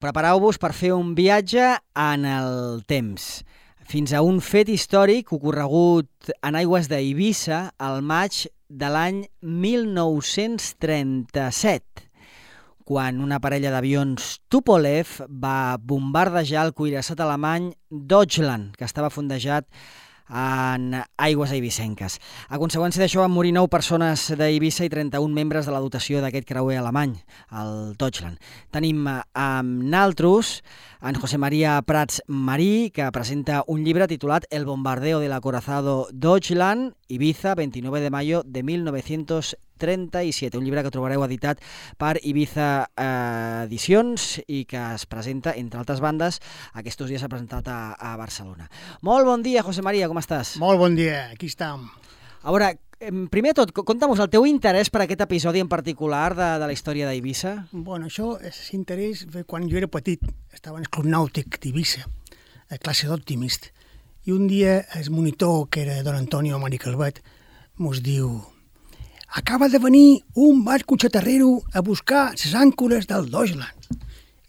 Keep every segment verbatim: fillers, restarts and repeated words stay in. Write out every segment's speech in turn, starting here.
Prepareu-vos per fer un viatge en el temps, fins a un fet històric ocorregut en aigües d'Eivissa al maig de l'any mil nou-cents trenta-set, quan una parella d'avions Tupolev va bombardejar el cuirassat alemany Deutschland, que estava fondejat en aigües eivissenques. A conseqüència d'això van morir nou persones d'Eivissa i trenta-un membres de la dotació d'aquest creuer alemany, el Deutschland. Tenim amb naltros en José María Prats Marí, que presenta un llibre titulat El bombardeo del acorazado Deutschland, Ibiza, veintinueve de mayo de mil novecientos trenta-siete, un llibre que trobareu editat per Ibiza eh, Edicions i que es presenta, entre altres bandes, aquests dies s'ha presentat a, a Barcelona. Molt bon dia, José María, com estàs? Molt bon dia, aquí estem. A veure, primer de tot, conta'm el teu interès per aquest episodi en particular de, de la història d'Eivissa. Bueno, això és interès quan jo era petit, estava en el Club Nàutic d'Eivissa, a classe d'Optimist, i un dia el monitor, que era don Antonio Mari Calvet, mos diu: acaba de venir un barco xatarrero a buscar les àncores del Deutschland.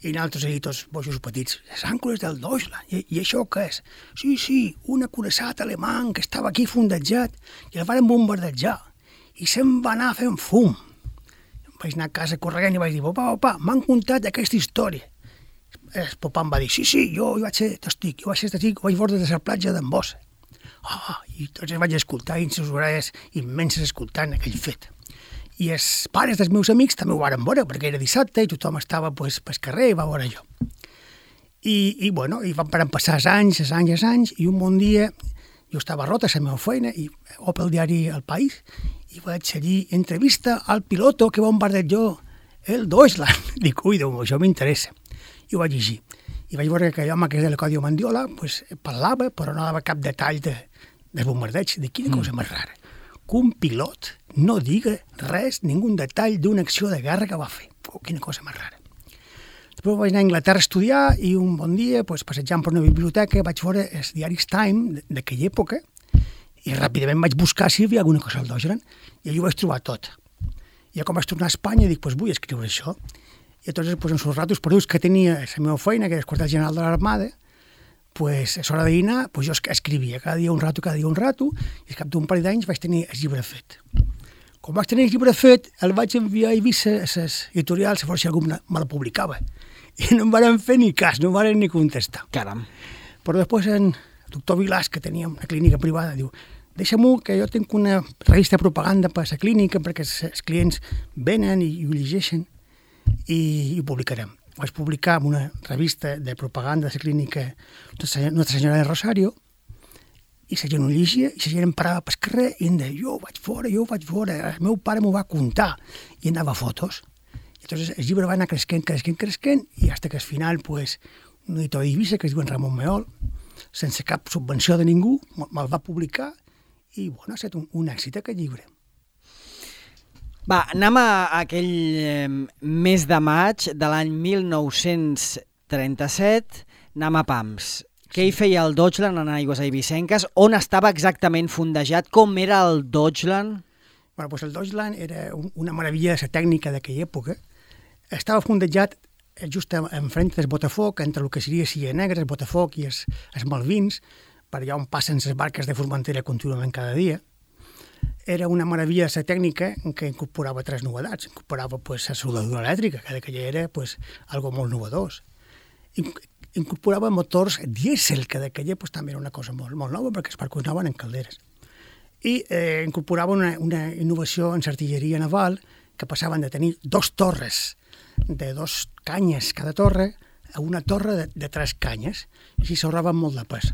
I nosaltres allà tots boixos petits, les àncores del Deutschland, I, i això què és? Sí, sí, un acoraçat alemany que estava aquí fondejat i el van bombardejar i se'n va anar fent fum. Vaig anar a casa corrent i vaig dir: papa, papa, m'han contat aquesta història. El papa em va dir: sí, sí, jo, jo vaig ser testic, jo vaig ser testic, ho vaig veure des de la platja d'en Bossa. Ah, i tots vaig escoltar i les orelles immenses escoltant aquell fet. I els pares dels meus amics també ho varen veure, perquè era dissabte i tothom estava pues, pel carrer i va veure jo. I, i bueno, i van passar els anys, els anys, els anys, i un bon dia jo estava rota a la meva feina i ope el diari El País i vaig seguir entrevista al piloto que bombardejó el Deutschland. Dic, ui, Déu meu, això m'interessa. I ho vaig llegir. I vaig veure que l'home que és de la Còdio Mandiola pues, parlava, però no dava cap detall de, del bombardeig. De quina cosa més rara. Que un pilot no diga res, ningú detall d'una acció de guerra que va fer. Oh, quina cosa més rara. Després vaig anar a Anglaterra a estudiar i un bon dia, pues, passejant per una biblioteca, vaig veure els diaris Time d'aquella època i ràpidament vaig buscar si hi havia alguna cosa al Deutschland i allà ho vaig trobar tot. I ja com vaig tornar a Espanya dic, pues, vull escriure això. I llavors, pues, en els ratos perduts que tenia la meva feina, que era el quartel general de l'Armada, pues, a l'hora de dinar, pues, jo escrivia cada dia un rato, cada dia un rato, i al cap d'un parell d'anys vaig tenir el llibre fet. Com vaig tenir el llibre fet, el vaig enviar a Eivissa a les editorials a veure si algú me la publicava. I no em van fer ni cas, no em van ni contestar. Caram. Però després en el doctor Vilàs, que tenia una clínica privada, diu: deixa-m'ho, que jo tinc una revista de propaganda per a la clínica, perquè els clients venen i, i ho llegeixen, i, i ho publicarem. Vaig publicar en una revista de propaganda de la clínica Nostra Senyora de Rosario, i la gent ho llegia, i la gent em parava pel carrer i em deia: jo ho vaig veure, jo ho vaig veure, el meu pare m'ho va contar, i em dava fotos. I llavors el llibre va anar creixent, creixent, creixent, i fins que al final, pues, un editor d'Eivissa, que es diu en Ramon Meol, sense cap subvenció de ningú, me'l va publicar, i bueno, ha estat un, un èxit aquest llibre. Va, anem a aquell eh, mes de maig de l'any mil nou-cents trenta-set, anem a pams. Què hi feia el Deutschland en aigües eivissenques? On estava exactament fondejat? Com era el Deutschland? Bueno, pues el Deutschland era un, una meravella de la tècnica d'aquella època. Estava fondejat just enfront del Botafoc, entre el que seria Silla Negra, el Botafoc i els, els Malvins, per allà on passen les barques de Formentera contínuament cada dia. Era una meravella de la tècnica que incorporava tres novetats. Incorporava pues, la soldadura elèctrica, que d'aquella era pues, algo molt novedós. Incorporava motors dièsel, que d'aquella pues, també era una cosa molt, molt nova, perquè els barcos anaven en calderes. I eh, incorporava una, una innovació en l'artilleria naval, que passaven de tenir dos torres de dos canyes cada torre a una torre de, de tres canyes, i així s'ahorraven molt de pes.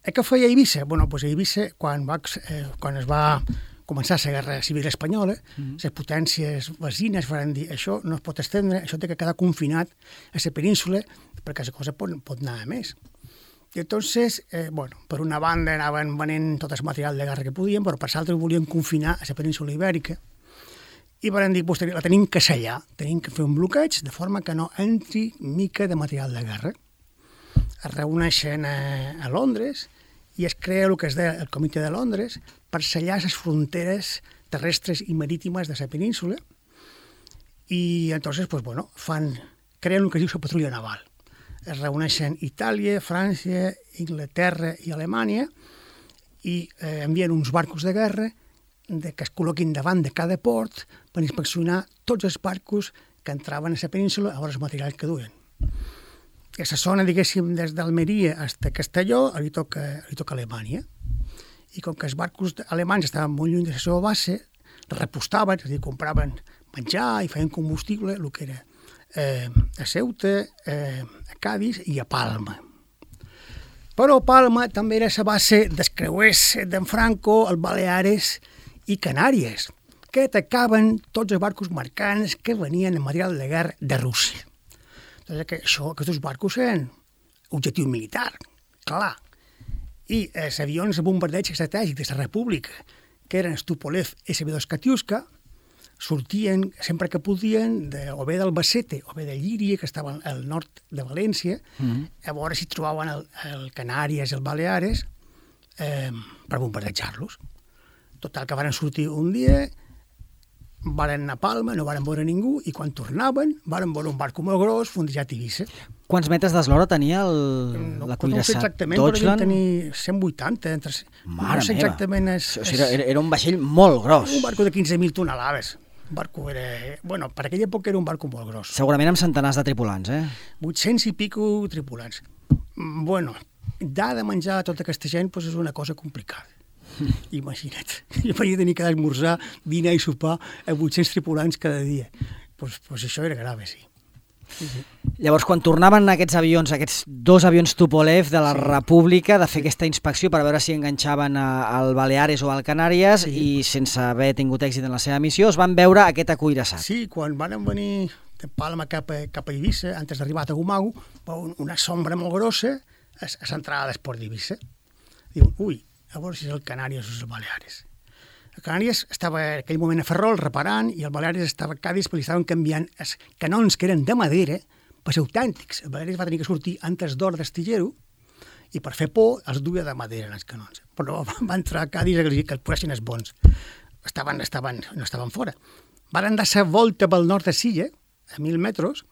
Eh, què feia Eivissa? Bueno, pues Eivissa, quan, va, eh, quan es va començar la Guerra Civil Espanyola, mm-hmm. les potències vecines van dir: això no es pot estendre, això té que quedar confinat a la península, perquè la cosa pot, pot anar a més. I entonces, eh, bueno, per una banda anaven venent tot el material de guerra que podien, però per l'altra volien confinar a la península ibèrica, i van dir, pues, la tenim que sellar, tenim que fer un bloqueig de forma que no entri mica de material de guerra. Es reuneixen a, a Londres i es crea el que es deia el Comitè de Londres per sellar les fronteres terrestres i marítimes de la península, i entonces pues, bueno, fan creen el que es diu la patrulla naval. Es reuneixen Itàlia, França, Inglaterra i Alemanya i eh, envien uns barcos de guerra de, que es col·loquin davant de cada port per inspeccionar tots els barcos que entraven a la península a veure el material que duien. A la zona, diguéssim, des d'Almeria fins a Castelló, li toca, li toca Alemanya. I com que els barcos alemanys estaven molt lluny de la seva base, repostaven, és a dir, compraven menjar i feien combustible, el que era eh, a Ceuta, eh, a Cádiz i a Palma. Però Palma també era la base dels creuers d'en Franco, el Baleares i Canàries, que atacaven tots els barcos mercants que venien en material de guerra de Rússia. Doncs que això, aquests barcos eren objectiu militar, clar. I els avions de bombardeig estratègic de la República, que eren el Tupolev esse be dos Katiuska, sortien sempre que podien de, o bé d'Albacete o bé de Llíria, que estaven al nord de València, mm-hmm. a veure si trobaven el, el Canàries i el Baleares eh, per bombardejar-los. Total, que varen sortir un dia, varen anar a Palma, no varen veure ningú, i quan tornaven varen veure un barco molt gros fondejat a Eivissa. Quants metres d'eslora tenia el, no, la cuirassat? No sé exactament, però devien tenir cent vuitanta. Entre... Mare no sé exactament és, o sigui, era, era un vaixell molt gros. Un barco de quinze mil tonelades. Un barco era... Bueno, per aquella època era un barco molt gros. Segurament amb centenars de tripulants, eh? vuit-cents i pico tripulants. Bueno, dar de menjar a tota aquesta gent pues, és una cosa complicada. Imagina't, jo vaig tenir que esmorzar, dinar i sopar a vuit-cents tripulants cada dia. Pues, pues això era grave, sí. Sí, sí. Llavors, quan tornaven aquests avions, aquests dos avions Tupolev de la sí. República, de fer sí. aquesta inspecció per veure si enganxaven a, al Baleares o al Canàries sí. i sense haver tingut èxit en la seva missió, es van veure aquest acuirassat. Sí, quan van venir de Palma cap a, cap a Eivissa, antes d'arribar a Tagumago, una sombra molt grossa a, a l'entrada de l'esport d'Eivissa. Diuen, ui, a veure si és el Canàries o és el Baleares. El Canàries estava en aquell moment a Ferrol reparant i el Baleares estava a Cádiz perquè li estaven canviant els canons que eren de madera per ser autèntics. El Baleares va tenir que sortir antes d'or d'astillero i per fer por els duia de madera en els canons. Però va entrar a Cádiz que els posessin els bons. Estaven, estaven, no estaven fora. Van dar la volta pel nord de Silla, a mil metres,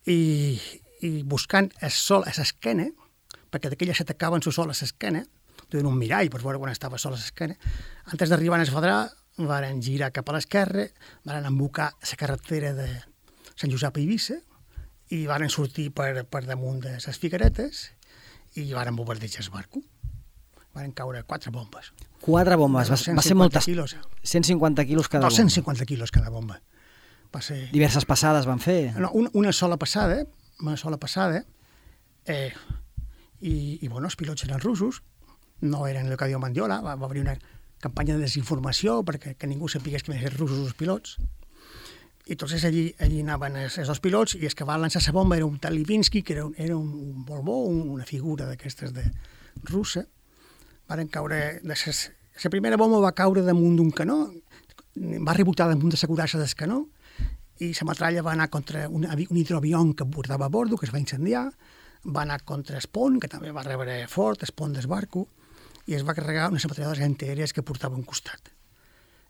i, i buscant el sol a l'esquena, perquè d'aquella s'atacaven el sol a l'esquena, duien un mirall per veure quan estava sol a l'esquena. Antes d'arribar a Esfadrà, van girar cap a l'esquerra, van embocar la carretera de Sant Josep a Eivissa i van sortir per, per damunt de les Figueretes i van bombardejar el barco. Van caure quatre bombes. Quatre bombes, va, va ser moltes. Quilos. cent cinquanta quilos cada bomba. dos-cents cinquanta quilos cada bomba. Va ser... Diverses passades van fer? No, una, una sola passada, una sola passada, eh, i, i bueno, els pilots eren russos, no eren el que diu Mandiola, va, va haver una campanya de desinformació perquè que ningú sapigués que eren russos els pilots. I entonces allí, allí anaven els, els dos pilots i els que va lançar la bomba era un tal Livinsky, que era un, era un, un borbó, un, una figura d'aquestes de russa. Varen caure... De ses, la primera bomba va caure damunt d'un canó, va rebotar damunt de la curassa del canó i la metralla va anar contra un, un hidroavió que portava a bordo, que es va incendiar, va anar contra el pont, que també va rebre fort, el pont del barco, i es va carregar unes ametralladores antiaèries que portava a un costat.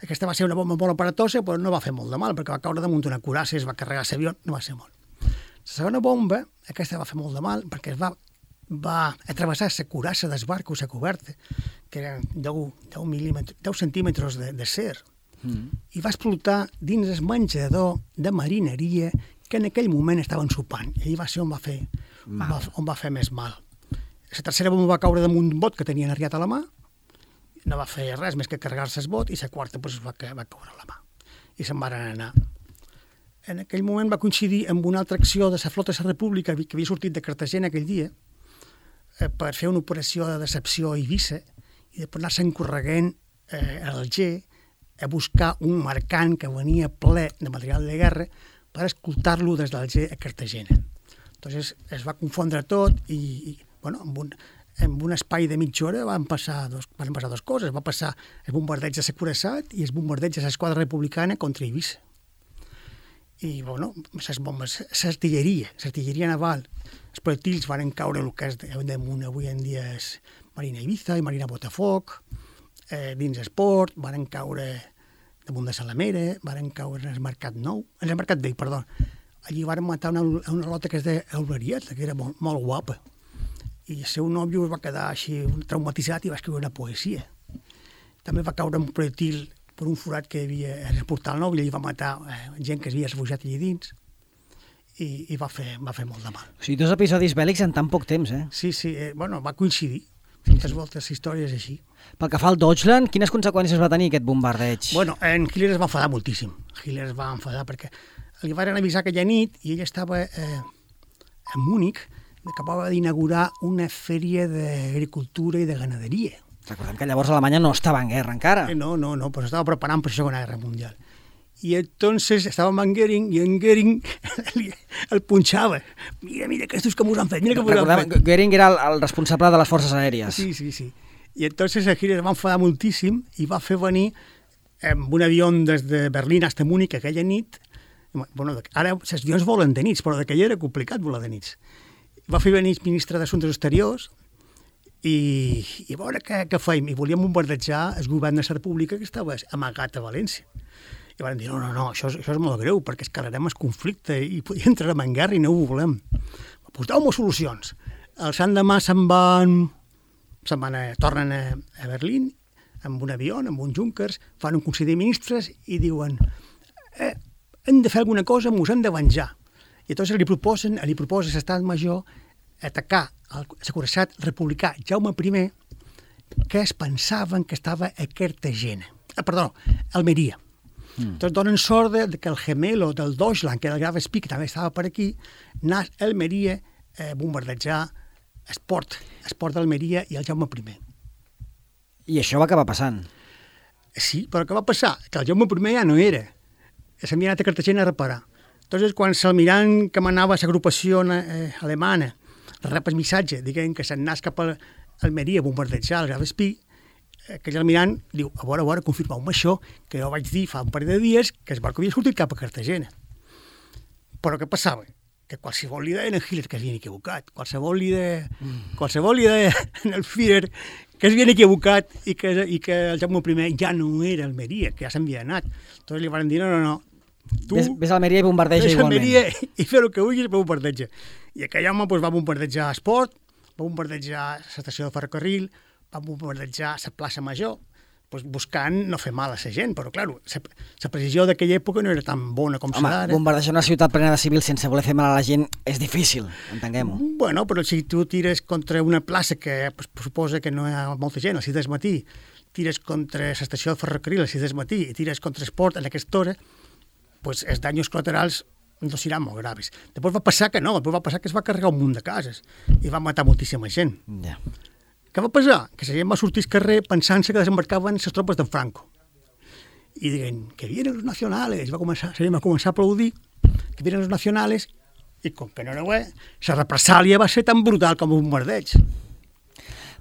Aquesta va ser una bomba molt aparatosa, però no va fer molt de mal, perquè va caure damunt d'una curassa i es va carregar l'avió, no va ser molt. La segona bomba, aquesta va fer molt de mal, perquè es va, va atravessar la curassa del barco, la coberta, que eren deu, deu centímetres de, de ser, mm. i va explotar dins el menjador de marineria que en aquell moment estaven sopant. I allà va ser on va fer, va, on va fer més mal. La tercera bomba va caure damunt d'un bot que tenien arriat a la mà, no va fer res més que carregar-se el bot, i la quarta pues, va, va caure a la mà. I se'n van anar. En aquell moment va coincidir amb una altra acció de la flota de la República que havia sortit de Cartagena aquell dia eh, per fer una operació de decepció a Eivissa i després anar-se'n correguent eh, a Alger a buscar un mercant que venia ple de material de guerra per escoltar-lo des d'Alger a Cartagena. Entonces es va confondre tot i, i bueno, en un, en un espai de mitja hora van passar, dos, van passar dues coses. Va passar el bombardeig de Securassat i el bombardeig de l'esquadra republicana contra Eivissa. I, bueno, les bombes, l'artilleria, l'artilleria naval, els projectils van caure el que és damunt avui en dia és Marina Ibiza i Marina Botafoc, eh, dins el port, van caure damunt de Salamera, van caure en el Mercat Nou, en el Mercat Vell, perdó, allí van matar una, una lota que es d'Eulerieta, que era molt, molt guapa. I el seu nòvio es va quedar així traumatitzat i va escriure una poesia. També va caure un projectil per un forat que hi havia en el portal nou i allà va matar eh, gent que s'havia refugiat allà dins i, i va, fer, va fer molt de mal. O sigui, dos episodis bèl·lics en tan poc temps, eh? Sí, sí, eh, bueno, va coincidir. Moltes voltes històries així. Pel que fa al Deutschland, quines conseqüències va tenir aquest bombardeig? Bueno, en Hitler es va enfadar moltíssim. Hitler es va enfadar perquè li van avisar aquella nit i ell estava eh, a Múnich, que acabava d'inaugurar una fèria d'agricultura i de ganaderia. Recordem que llavors Alemanya no estava en guerra encara. Eh, no, no, no, però estava preparant per la Segona Guerra Mundial. I entonces estava amb en Goering i en Goering el punxava. Mira, mira, aquests que m'ho han fet, mira que m'ho han fet. Goering era el, el responsable de les forces aèries. Sí, sí, sí. I entonces el Hitler va enfadar moltíssim i va fer venir amb un avió des de Berlín fins a Múnich aquella nit. Bueno, ara els avions volen de nits, però d'aquella era complicat volar de nits. Va fer venir el ministre d'Assumptes Exteriors i, i a veure què, què fèiem. I volíem bombardejar el govern de la República que estava amagat a València. I van dir, no, no, no, això, això és molt greu, perquè escalarem el conflicte i podria entrar en guerra i no ho volem. Pues deu-me solucions. Els l'endemà se'n van, se'n van a, tornen a, a Berlín amb un avió, amb un Junkers, fan un consell de ministres i diuen eh, hem de fer alguna cosa, mos hem de venjar. I llavors li proposen, li proposa l'estat major atacar el securestat republicà Jaume I, que es pensaven que estava a Cartagena. Ah, perdó, Almeria. Mm. Entonces donen sort de que el gemelo del Deutschland, que era el Graf Spee, que també estava per aquí, anà a Almeria a bombardejar el port, el port d'Almeria i el Jaume I. I això va acabar passant. Sí, però què va passar? Que el Jaume I ja no era. S'havia anat a Cartagena a reparar. Entonces, quan l'almirant que manava l'agrupació eh, alemana rep el missatge, diguem que se'n anàs cap a Almeria a bombardejar el Graf Spee, aquell almirant diu, a veure, a veure, confirmeu-me això, que jo vaig dir fa un parell de dies que el barco havia sortit cap a Cartagena. Però què passava? Que qualsevol li deien a Hitler que s'havien equivocat, qualsevol li deia, mm. qualsevol li deia al Führer que s'havien equivocat i que, i que el Jaume I ja no era Almeria, que ja s'havia anat. Entonces li van dir, no, no, no, tu ves, ves a Almeria i bombardeja igualment. Ves a Almeria i fer el que vulguis, però bombardeja. I aquell home pues, va bombardejar esport, va bombardejar l'estació de ferrocarril, va bombardejar la plaça Major, pues, buscant no fer mal a la gent, però, clar, la precisió d'aquella època no era tan bona com Home, serà. bombardejar una ciutat plena de civils sense voler fer mal a la gent és difícil, entenguem-ho. Bueno, però si tu tires contra una plaça que pues, suposa que no hi ha molta gent, a les sis del matí, tires contra l'estació de ferrocarril a les sis del matí i tires contra esport en aquesta hora, pues, els danys col·laterals no seran molt graves. Després va passar que no, després va passar que es va carregar un munt de cases i va matar moltíssima gent. Ja. Què va passar? Que la gent va sortir al carrer pensant-se que desembarcaven les tropes de Franco. I diguen, que vienen los nacionales. Va començar, la gent va començar a aplaudir, que vienen los nacionales, i com que no era bé, la represàlia va ser tan brutal com un bombardeig.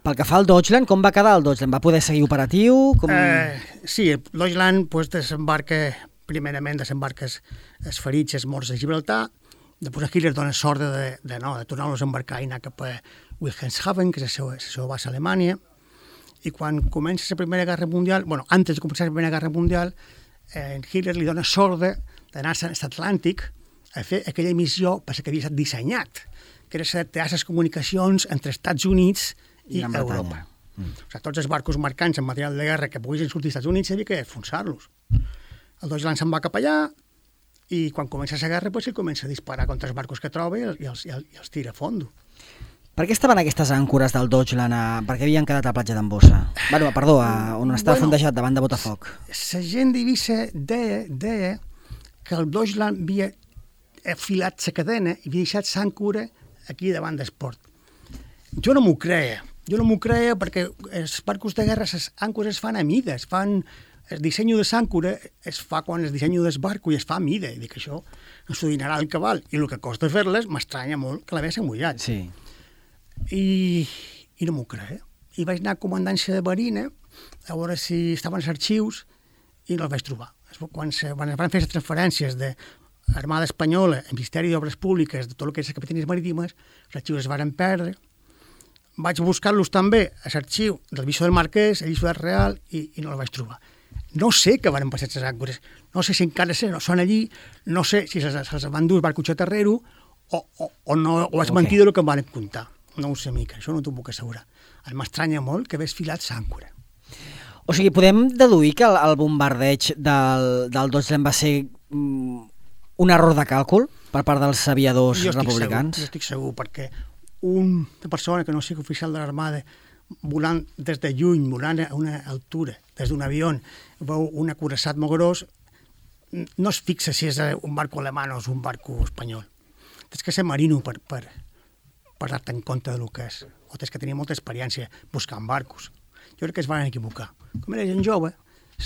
Pel que fa al Deutschland, com va quedar el Deutschland? Va poder seguir operatiu? Com... Eh, sí, el Deutschland pues, desembarca, primerament desembarca els ferits, els morts de Gibraltar, després Hitler dona sort de, de, no, de tornar-los a embarcar i anar cap a Wilhelmshaven, que és la seva, la seva base a Alemanya, i quan comença la Primera Guerra Mundial, bueno, antes de començar la Primera Guerra Mundial, eh, Hitler li dona sort d'anar a l'Atlàntic a fer aquella missió per la que havia estat dissenyat, que era setear les comunicacions entre Estats Units i, I Europa. Mm. O sigui, tots els barcos mercants amb material de guerra que poguessin sortir als Estats Units havia que enfonsar-los. El Deutschland se'n va cap allà, i quan comença la guerra, pues, ell comença a disparar contra els barcos que troba i els, i els, i els tira a fondo. Per què estaven aquestes àncores del Deutschland? A... Per què havien quedat a la platja d'Ambossa? Bueno, perdó, a... on estava bueno, fondejat, davant de Botafoc. La gent d'Eivissa deia, deia que el Deutschland havia afilat la cadena i havia deixat l'àncora aquí davant d'Esport. Jo no m'ho creia. Jo no m'ho creia perquè els barcos de guerra, les àncores es fan a mida, es fan... El disseny de l'àncora es fa quan el disseny del barco i es fa a mida. I dic, això no s'ho dinarà el cabal. I el que costa fer-les m'estranya molt que l'havia mullat. Sí. I, i no m'ho creia. I vaig anar a comandància de Marina a veure si estaven els arxius i no els vaig trobar. Quan es van fer les transferències de l'Armada Espanyola, el Ministeri d'Obres Públiques, de tot el que és les capitanies marítimes, els arxius es van perdre. Vaig buscar-los també a l'arxiu del Bisó del Marquès, a l'Isla Real, i, i no els vaig trobar. No sé què van passar les àncores, no sé si encara són allí, no sé si se'ls van dur el barco xatarrero o, o, o, no, o és okay. mentida el que em van contar. No ho sé mica, això no t'ho puc assegurar. M'estranya molt que hagués filat l'àncora. O sigui, podem deduir que el, el bombardeig del, del Deutschland va ser mm, un error de càlcul per part dels aviadors jo republicans? Segur, jo estic segur, perquè una persona que no sigui oficial de l'Armada volant des de lluny, volant a una altura, des d'un avió, veu un acoraçat molt gros, no es fixa si és un barco alemany o és un barco espanyol. Tens que ser marino per, per, per dar-te en compte del que és. O tens que tenir molta experiència buscant barcos. Jo crec que es van equivocar. Com era gent jove,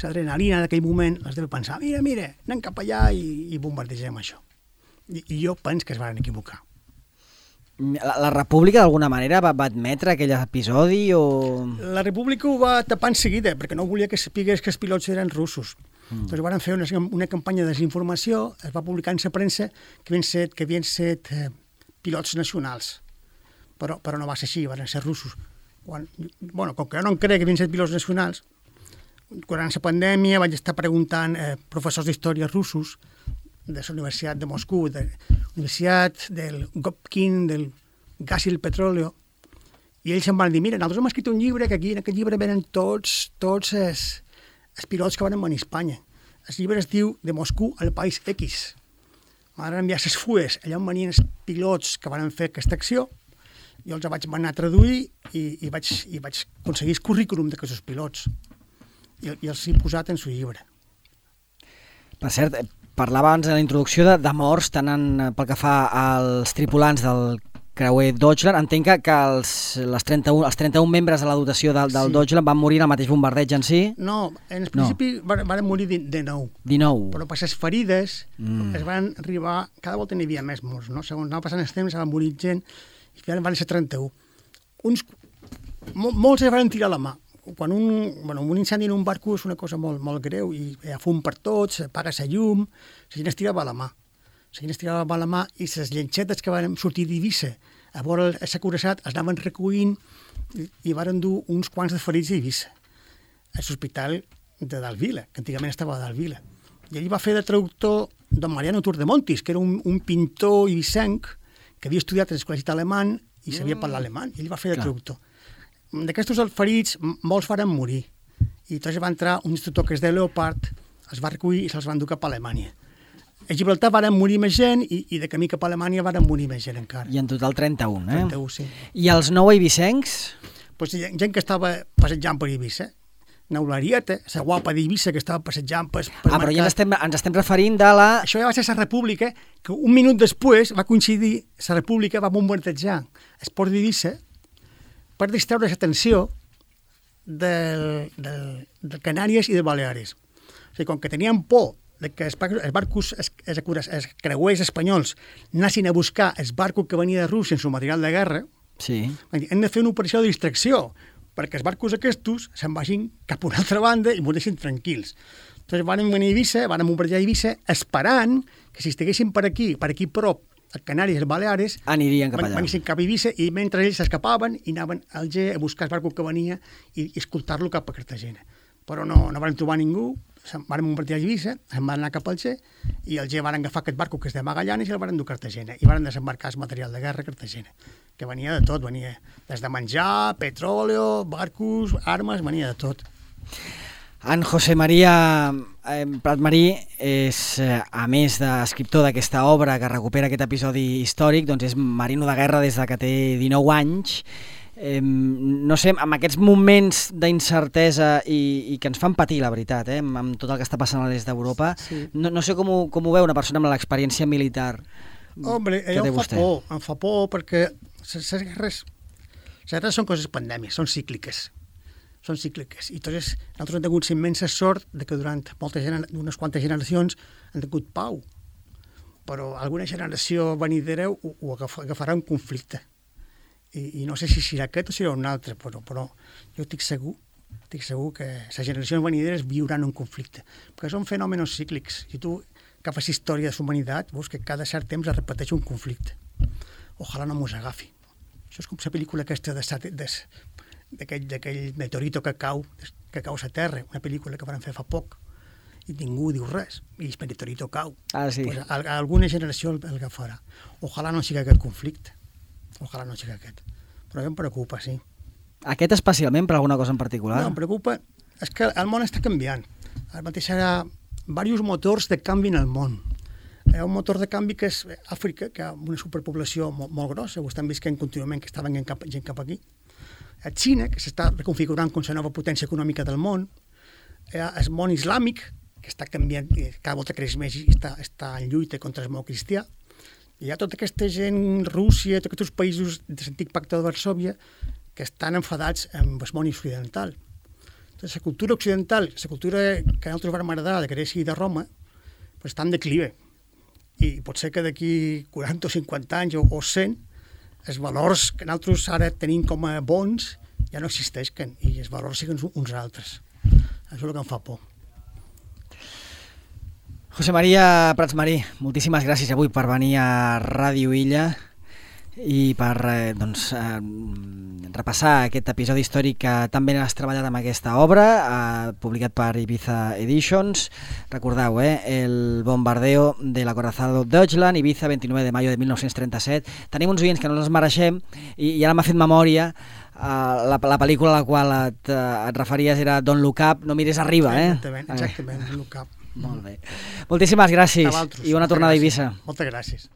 l'adrenalina d'aquell moment els deve pensar, mira, mira, anem cap allà i, i bombardegem això. I, I jo penso que es van equivocar. La, la República d'alguna manera va, va admetre aquell episodi o...? La República ho va tapar en seguida perquè no volia que sapigués que els pilots eren russos. Mm. Doncs van fer una, una campanya de desinformació, es va publicar en la premsa que havien set, que havien set eh, pilots nacionals, però, però no va ser així, van ser russos. Quan, bueno, com que jo no em crec que havien set pilots nacionals, durant la pandèmia vaig estar preguntant eh, professors d'història russos de la Universitat de Moscou, de la Universitat del Gopkin, del Gas i el Petróleo, i ells em van dir, mira, nosaltres hem escrit un llibre, que aquí en aquest llibre venen tots, tots els, els pilots que van venir a Espanya. El llibre es diu De Moscou al País X. M'han enviat les fulles, allà on venien els pilots que van fer aquesta acció, jo els vaig anar a traduir i, i, vaig, i vaig aconseguir el currículum d'aquests pilots i, i els he posat en el llibre. Per cert, parlava abans en la introducció de, de morts, tant en, pel que fa als tripulants del creuer Deutschland. Entenc que, que els, les trenta-un, els trenta-un membres de la dotació del, del sí. Deutschland van morir en el mateix bombardeig en si? No, en principi no. van, van morir de nou. dinou. Però per les ferides mm. es van arribar... Cada volta n'hi havia més morts, no? Segons anava passant el temps, van morir gent, i finalment van ser trenta-un. Uns, mol, molts es van tirar la mà. Quan un, bueno, un incendi en un barco és una cosa molt, molt greu i hi ha fum per tots, apaga la llum, la gent es tirava a la mà. La gent es tirava a la mà i les llenxetes que van sortir d'Eivissa a veure l'acoraçat es anaven recollint i, i van dur uns quants de ferits a Eivissa, a l'hospital de Dalvila, que antigament estava a Dalvila. I ell va fer de traductor don Mariano Turdemontis, que era un, un pintor eivissenc que havia estudiat en l'escola alemany i sabia parlar alemany, i ell va fer de traductor. D'aquests ferits, molts varen morir. I després va entrar un instructor que és de Leopard, els va recollir i se'ls van dur cap a Alemanya. A Gibraltar varen morir més gent i, i de camí cap a Alemanya varen morir més gent encara. I en total trenta-un, eh? trenta-un, sí. I els nou eivissencs? Pues gent que estava passejant per Eivissa. Neularieta, la guapa d'Eivissa que estava passejant per, per ah, però ja ens estem, ens estem referint de la... Això ja va ser la República, que un minut després va coincidir, la República va bombardejar el port d'Eivissa per distreure l'atenció del, del, de Canàries i de Baleares. O sigui, com que tenien por de que els barcos, els, els, els creuers espanyols anessin a buscar el barco que venia de Rússia en su material de guerra, sí. hem de fer una operació de distracció, perquè els barcos aquests se'n vagin cap a una altra banda i moreixin tranquils. Entonces van venir a Eivissa, van bombardejar a Eivissa, esperant que si estiguessin per aquí, per aquí prop, a Canàries i els Baleares, anirien cap allà. Van cap a Eivissa i mentre ells s'escapaven i anaven al G a buscar el barco que venia i, i escoltar-lo cap a Cartagena. Però no, no van trobar ningú, se'n van bombardejar a Eivissa, se'n van anar cap al G i el G van agafar aquest barco que és de Magallanes i el van dur a Cartagena i van desembarcar el material de guerra a Cartagena, que venia de tot, venia des de menjar, petróleo, barcos, armes, venia de tot. En José María eh, Pratmarí és, eh, a més d'escriptor d'aquesta obra que recupera aquest episodi històric, doncs és marino de guerra des de que té dinou anys. Eh, no sé, amb aquests moments d'incertesa i, i que ens fan patir, la veritat, eh, amb, amb tot el que està passant a l'est d'Europa, sí. no, no sé com ho, com ho veu una persona amb l'experiència militar. Hombre, que em fa vostè. por, em fa por perquè les guerres, les guerres són coses pandèmiques, són cícliques. són cícliques. I entonces, nosaltres hem tingut immensa sort de que durant moltes unes quantes generacions han tingut pau. Però alguna generació venidera ho, ho agafarà un conflicte. I, I no sé si serà aquest o serà un altre, però, però jo estic segur, estic segur que les generacions venideres viuran un conflicte. Perquè són fenòmenos cíclics. Si tu agafes història de la humanitat, veus que cada cert temps es repeteix un conflicte. Ojalà no mos agafi. Això és com la pel·lícula aquesta de, de, d'aquell meteorito que cau, que cau a la Terra, una pel·lícula que van fer fa poc, i ningú diu res, i el meteorito cau. Ah, sí. Pues a, a alguna generació el, el agafarà. Ojalà no sigui aquest conflicte, ojalà no sigui aquest. Però em preocupa, sí. Aquest especialment, per alguna cosa en particular? No, em preocupa, és que el món està canviant. Ara mateix hi ha diversos motors de canvi en el món. Hi ha un motor de canvi que és Àfrica, que hi ha una superpoblació molt, molt grossa, ho estan visquent contínuament, que està venint cap, gent cap aquí. Hi ha Xina, que s'està reconfigurant com la nova potència econòmica del món. Hi ha el món islàmic, que està canviant, cada volta creix més i està, està en lluita contra el món cristià. I hi ha tota aquesta gent, Rússia, tots aquests països de l'antic pacte de Varsòvia, que estan enfadats amb el món occidental. Entonces, la cultura occidental, la cultura que a nosaltres vam agradar de Grècia i de Roma, pues, està en declive. I pot ser que d'aquí quaranta o cinquanta anys o, o cent, els valors que nosaltres ara tenim com a bons ja no existeixen i els valors siguin uns altres. Això és el que em fa por. José María Prats Marí, moltíssimes gràcies avui per venir a Ràdio Illa i per eh, doncs, eh, repassar aquest episodi històric que tan ben has treballat amb aquesta obra, eh, publicat per Ibiza Editions. Recordeu, eh, el bombardeo de l'acorazado Deutschland, Ibiza, vint-i-nou de mayo de mil nou-cents trenta-set. Tenim uns oients que no els mereixem i, i ara m'ha fet memòria. Uh, la, la pel·lícula a la qual et, uh, et referies era Don't Look Up, no mires arriba, eh? Exactament, exactament, Don't Look Up. Molt bé. Moltíssimes gràcies i bona tornada a Eivissa. Moltes gràcies.